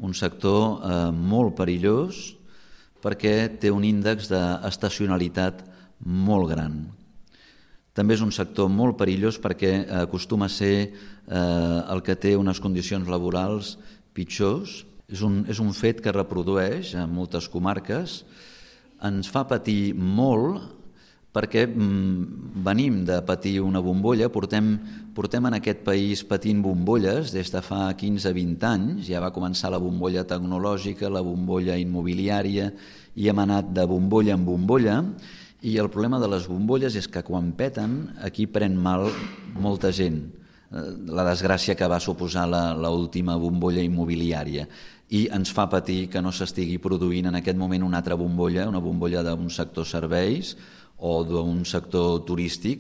un sector molt perillós perquè té un índex d'estacionalitat molt gran. També és un sector molt perillós perquè acostuma a ser el que té unes condicions laborals pitjors. És un fet que reprodueix en moltes comarques. Ens fa patir molt perquè venim de patir una bombolla, portem en aquest país patint bombolles des de fa 15-20 anys, ja va començar la bombolla tecnològica, la bombolla immobiliària, i hem anat de bombolla en bombolla, i el problema de les bombolles és que quan peten aquí pren mal molta gent, la desgràcia que va suposar l'última bombolla immobiliària, i ens fa patir que no s'estigui produint en aquest moment una altra bombolla, una bombolla d'un sector serveis o d'un sector turístic,